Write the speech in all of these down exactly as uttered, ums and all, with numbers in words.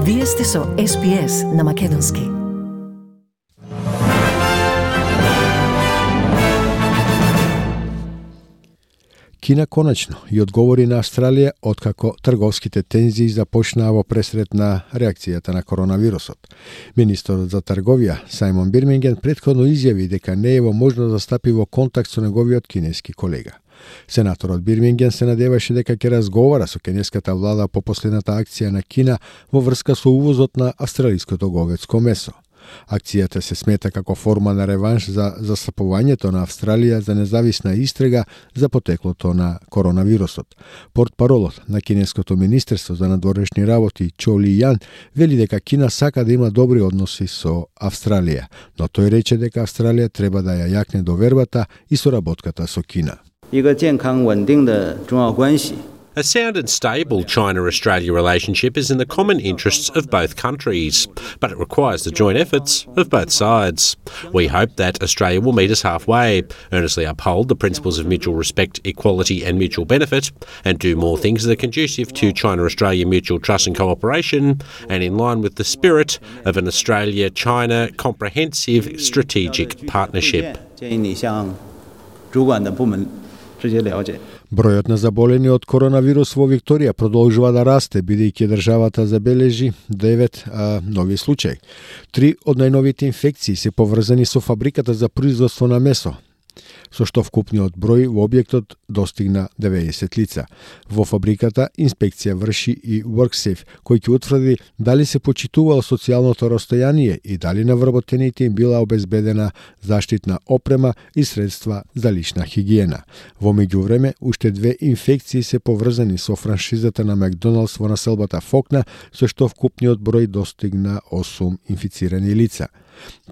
Вие сте со Ес Би Ес на Македонски. Кина конечно и одговори на Австралија откако трговските тензии започнаа во пресред на реакцијата на коронавирусот. Министерот за трговија Сајмон Бирминген претходно изјави дека не е во можност да стапи во контакт со неговиот кинески колега. Сенаторот Бирминген се надеваше дека ќе разговара со кинеската влада по последната акција на Кина во врска со увозот на австралиското говедско месо. Акцијата се смета како форма на реванш за застапувањето на Австралија за независна истрага за потеклото на коронавирусот. Портпаролот на Кинеското министерство за надворешни работи Чо Ли Јан вели дека Кина сака да има добри односи со Австралија, но тој рече дека Австралија треба да ја јакне довербата и соработката со Кина. A sound and stable China-Australia relationship is in the common interests of both countries, but it requires the joint efforts of both sides. We hope that Australia will meet us halfway, earnestly uphold the principles of mutual respect, equality and mutual benefit, and do more things that are conducive to China-Australia mutual trust and cooperation, and in line with the spirit of an Australia-China comprehensive strategic partnership. Бројот на заболени од коронавирус во Викторија продолжува да расте, бидејќи државата забележи девет а, нови случаи. Три од најновите инфекции се поврзани со фабриката за производство на месо, со што вкупниот број во објектот достигна деветдесет лица. Во фабриката инспекција врши и WorkSafe, кој ќе утврди дали се почитувало социјалното растојание и дали на вработените им била обезбедена заштитна опрема и средства за лична хигиена. Во меѓувреме, уште две инфекции се поврзани со франшизата на Макдоналдс во населбата Фокна, со што вкупниот број достигна осум инфицирани лица.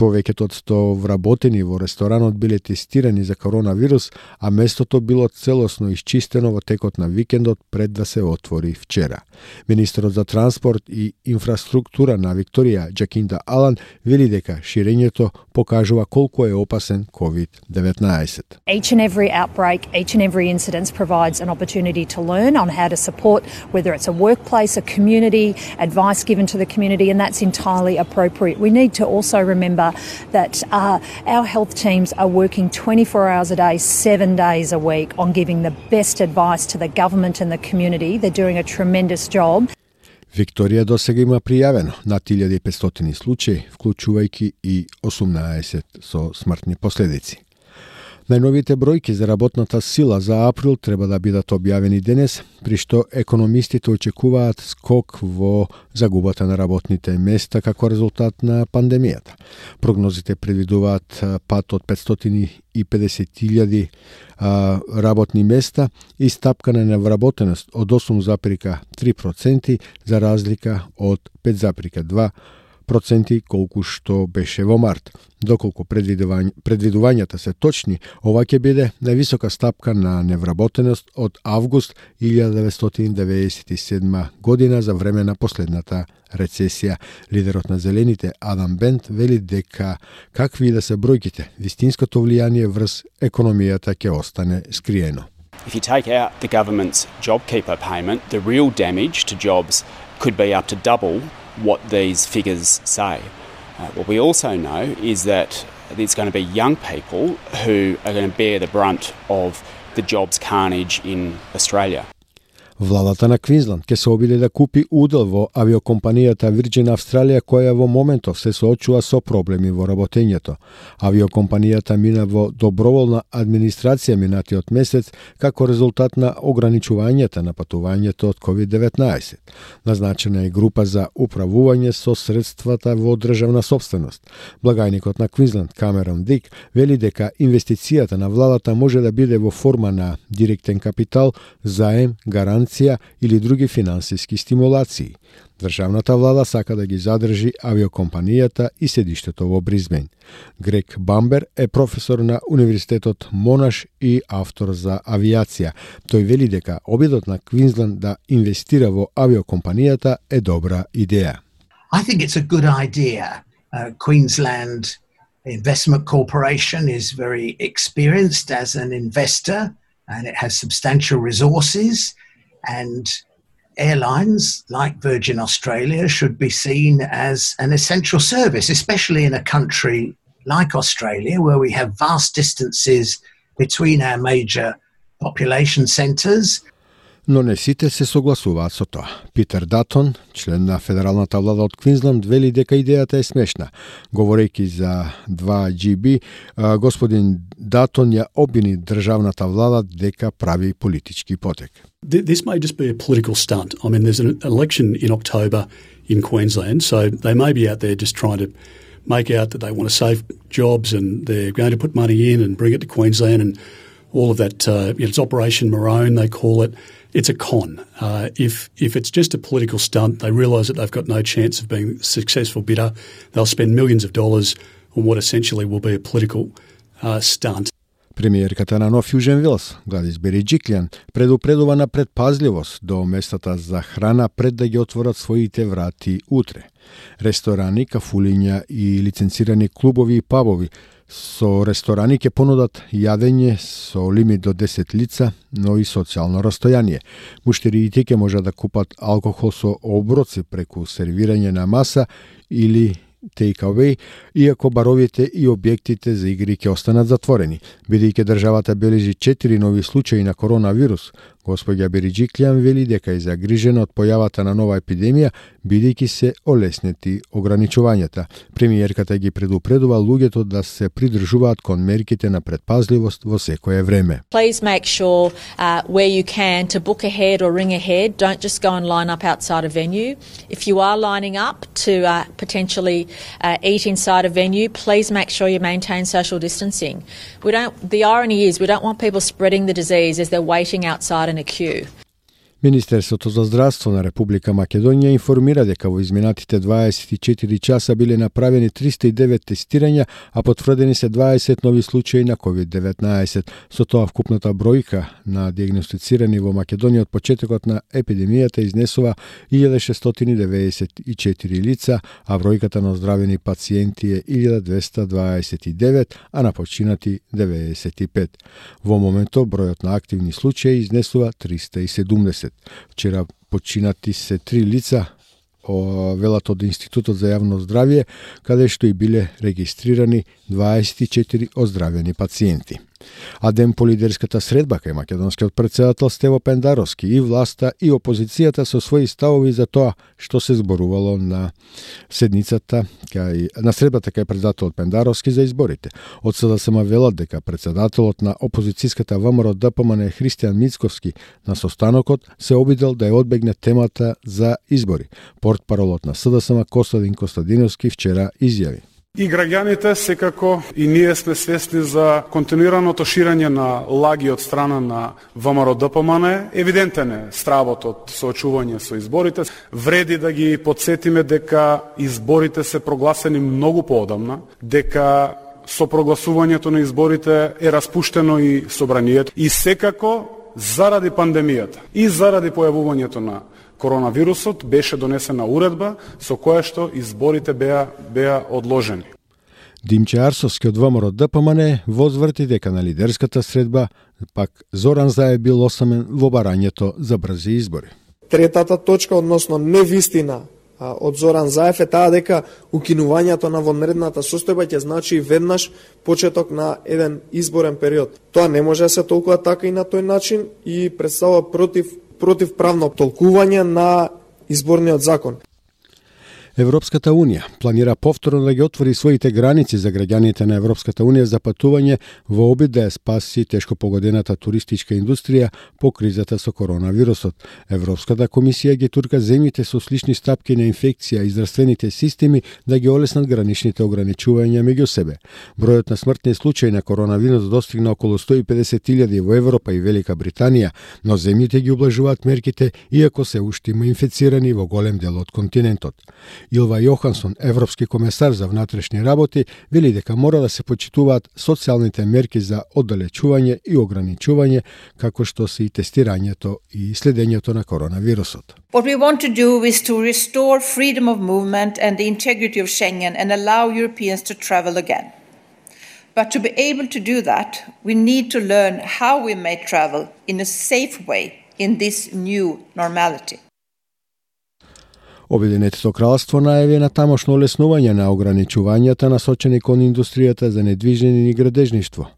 Повеќето од сто вработени во ресторанот биле тестирани за коронавирус, а местото било целосно исчистено во текот на викендот пред да се отвори вчера. Министерот за транспорт и инфраструктура на Викторија, Джакинда Алан, вели дека ширењето покажува колку е опасен ковид деветнаесет. Each and every outbreak, each and every incident provides an opportunity to learn on how to support, whether it's a workplace, a community, advice given to the community, and that's entirely appropriate. We need to also remember that uh, our health teams are working twenty-four hours a day, seven days a week on giving the best advice to the government and the community. They're doing a tremendous job. Викторија досега има пријавено над илјада и петстотини случаи, вклучувајќи и осумнаесет со смртни последици. Најновите бројки за работната сила за април треба да бидат објавени денес, при што економистите очекуваат скок во загубата на работните места како резултат на пандемијата. Прогнозите предвидуваат пад од петстотини и педесет илјади работни места и стапка на невработеност од осум зарез три проценти за разлика од пет зарез два проценти колку што беше во март. Доколку предвидувањ, предвидувањата се точни, ова ќе биде највисока стапка на невработеност од август илјада деветстотини деветдесет и седма година за време на последната рецесија. Лидерот на Зелените Адам Бент вели дека какви и да се бројките, вистинското влијание врз економијата ќе остане скриено. If you take out the government's JobKeeper payment, the real damage to jobs could be up to double what these figures say. Uh, what we also know is that there's going to be young people who are going to bear the brunt of the jobs carnage in Australia. Владата на Квинсленд ќе се обиде да купи удел во авиокомпанијата Virgin Australia, која во моментов се соочува со проблеми во работењето. Авиокомпанијата мина во доброволна администрација минатиот месец како резултат на ограничувањата на патувањето од ковид деветнаесет. Назначена е група за управување со средствата во државна собственост. Благајникот на Квинсленд Камерон Дик вели дека инвестицијата на владата може да биде во форма на директен капитал, заем, гаранција или други финансиски стимулации. Државната влада сака да ги задржи авиокомпанијата и седиштето во Бризбен. Грег Бамбер е професор на Универзитетот Монаш и автор за авиација. Тој вели дека обидот на Квинсленд да инвестира во авиокомпанијата е добра идеја. I think it's a good idea. Uh, Queensland Investment Corporation is very experienced as an investor and it has substantial resources. And airlines like Virgin Australia should be seen as an essential service, especially in a country like Australia, where we have vast distances between our major population centres. Но не сите се согласуваат со тоа. Питер Датон, член на федералната влада од Квинсленд, вели дека идејата е смешна. Говорејќи за два джи би, господин Датон ја обвини државната влада дека прави политички потек. This may just be a political stunt. I mean, there's an election in October in Queensland, so they may be out there just trying to make out that they want to save jobs and they're going to put money in and bring it to Queensland and all of that. Uh, you know, it's Operation Maroon, they call it. It's a con. Uh, if if it's just a political stunt, they realise that they've got no chance of being a successful bidder. They'll spend millions of dollars on what essentially will be a political uh, stunt. Премиерката на Нов Јужен Велс, Гладис Береджиклјан, предупредува на предпазливост до местата за храна пред да ги отворат своите врати утре. Ресторани, кафулиња и лиценцирани клубови и пабови со ресторани ќе понудат јадење со лимит до десет лица, но и социјално растојание. Муштериите ќе можат да купат алкохол со оброци преку сервирање на маса или take-away, иако баровите и објектите за игри ќе останат затворени. Бидејќи државата бележи четири нови случаи на коронавирус, госпоѓа Береджиклјан вели дека е загрижена од појавата на нова епидемија, бидејќи се олеснети ограничувањата. Премиерката ги предупредува луѓето да се придржуваат кон мерките на предпазливост во секое време. Please make sure uh, where you can to book ahead or ring ahead. Don't just go and line up outside a venue. If you are lining up to uh, potentially uh, eat inside a venue, please make sure you maintain social distancing. We don't. The irony is we don't want people spreading the disease as they're waiting outside in a queue. Министерството за здравство на Република Македонија информира дека во изминатите дваесет и четири часа биле направени триста и девет тестирања, а потврдени се дваесет нови случаи на ковид деветнаесет. Со тоа вкупната бројка на диагностицирани во Македонија од почетокот на епидемијата изнесува илјада шестстотини деветдесет и четири лица, а бројката на оздравени пациенти е илјада двеста дваесет и девет, а на починати деветдесет и пет. Во моментов бројот на активни случаи изнесува триста и седумдесет. Вчера починати се три лица, велат од Институтот за јавно здравје, каде што и биле регистрирани дваесет и четири оздравени пациенти. А ден по лидерската средба кај македонскиот претседател Стево Пендаровски и власта и опозицијата со своји ставови за тоа што се зборувало на седницата кај на средбата кај претседателот Пендаровски за изборите. Од СДСМ велат дека претседателот на опозицијската ВМРО Д П М Н Христијан Мицковски на состанокот се обидел да ја одбегне темата за избори. Портпаролот на СДСМ Костадин Костадиновски вчера изјави: И граѓаните секако и ние сме свесни за континуираното ширење на лаги од страна на ВМРО Д П М Н. Евидентен е стравот од соочување со изборите. Вреди да ги подсетиме дека изборите се прогласени многу поодамна, дека со прогласувањето на изборите е распуштено и собранието и секако заради пандемијата и заради појавувањето на коронавирусот беше донесена уредба со која што изборите беа беа одложени. Димче Арсовски од ВМРО Д П М Н возврти дека на лидерската средба пак Зоран Заев бил осамен во барањето за брзи избори. Третата точка, односно невистина од Зоран Заев е таа дека укинувањето на вонредната состојба ќе значи веднаш почеток на еден изборен период. Тоа не може да се толкува така и на тој начин и представува против противправно толкување на изборниот закон. Европската Унија планира повторно да ги отвори своите граници за граѓаните на Европската Унија за патување во обид да ја спаси тешко погодената туристичка индустрија по кризата со коронавирусот. Европската комисија ги турка земјите со слични стапки на инфекција и здравствените системи да ги олеснат граничните ограничувања меѓу себе. Бројот на смртни случаи на коронавирус достигна околу сто и педесет илјади во Европа и Велика Британија, но земјите ги ублажуваат мерките иако се уште има инфицирани во голем дел од континентот. Илва Јохансон, европски комесар за внатрешни работи, вели дека мора да се почитуваат социјалните мерки за оддалечување и ограничување, како што се и тестирањето и следењето на коронавирусот. What we want to do is to restore freedom of movement and the integrity of Schengen and allow Europeans to travel again. But to be able to do that, we need to learn how we may travel in a safe way in this new normality. Обединетото кралство најави на тамошно олеснување на ограничувањата насочени кон индустријата за недвижнини и градежништво.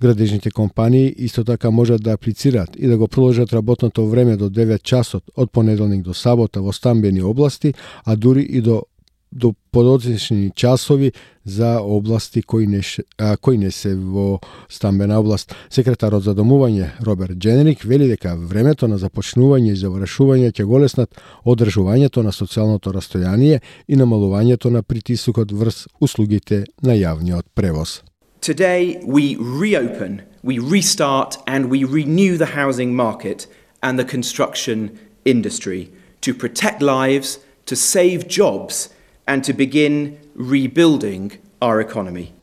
Градежните компании исто така можат да аплицираат и да го продолжат работното време до девет часот од понеделник до сабота во стамбени области, а дури и до до подоцнични часови за области кои не, а, кои не се во стамбена област. Секретарот за домување Роберт Дженерик вели дека времето на започнување и завршување ќе го леснат одржувањето на социјалното растојание и намалувањето на притисокот врз услугите на јавниот превоз. Today we reopen, we restart and we renew the housing market and the construction industry to protect lives, to save jobs and to begin rebuilding our economy.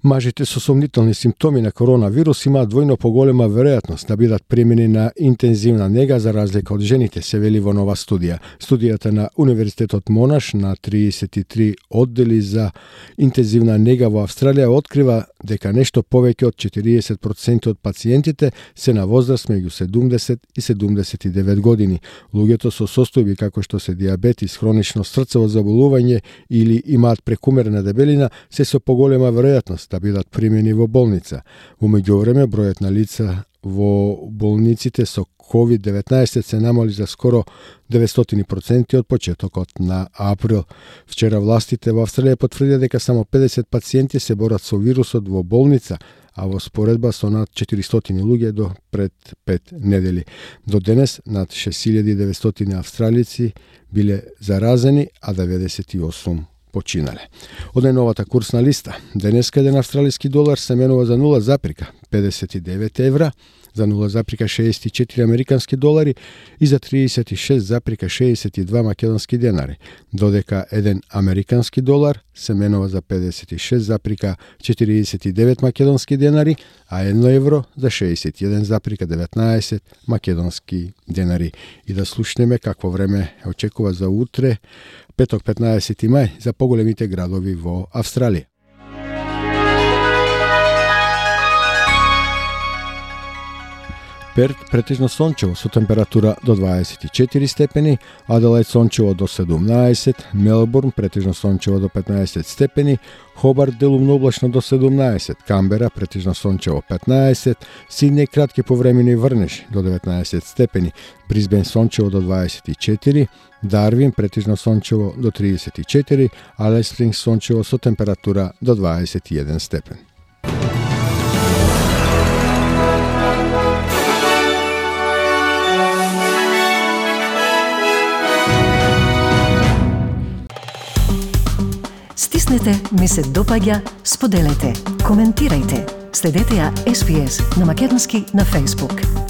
Мажите со сомнителни симптоми на коронавирус имаат двојно поголема веројатност да бидат примени на интензивна нега за разлика од жените, се вели во нова студија. Студијата на Универзитетот Монаш на триесет и три оддели за интензивна нега во Австралија открива дека нешто повеќе од четириесет проценти од пациентите се на возраст меѓу седумдесет и седумдесет и девет години. Луѓето со состојби како што се дијабетис, хронично срцево заболување или имаат прекумерна дебелина се со поголема веројатност да бидат примени во болница. Во меѓувреме, бројот на лица во болниците со ковид деветнаесет се намали за скоро деветстотини проценти од почетокот на април. Вчера властите во Австралија потврдија дека само педесет пациенти се борат со вирусот во болница, а во споредба со над четиристотини луѓе до пред пет недели. До денес над шест илјади и деветстотини австралици биле заразени, а деветдесет и осум починале. Од најновата курсна листа, денеска еден австралиски долар се менува за нула запирка педесет и девет евра, за нула запирка шеесет и четири американски долари и за триесет и шест запирка шеесет и два македонски денари, додека еден американски долар се менува за педесет и шест запирка четириесет и девет македонски денари, а едно евро за шеесет и еден запирка деветнаесет македонски денари. И да слушнеме какво време очекува за утре, петок петнаесети мај, за поголемите градови во Австралија. Перт претежно сончево со температура до дваесет и четири степени, Аделајд сончево до седумнаесет, Мелбурн претежно сончево до петнаесет степени, Хобарт делумно облачно до седумнаесет, Камбера претежно сончево петнаесет, Сиднеј кратки повремени врнеж до деветнаесет степени, Брисбен сончево до дваесет и четири, Дарвин претежно сончево до триесет и четири, Алис Спрингс сончево со температура до дваесет и еден степен. Стиснете, ми се допаѓа, споделете, коментирајте. Следете ја Ес Би Ес на македонски на Facebook.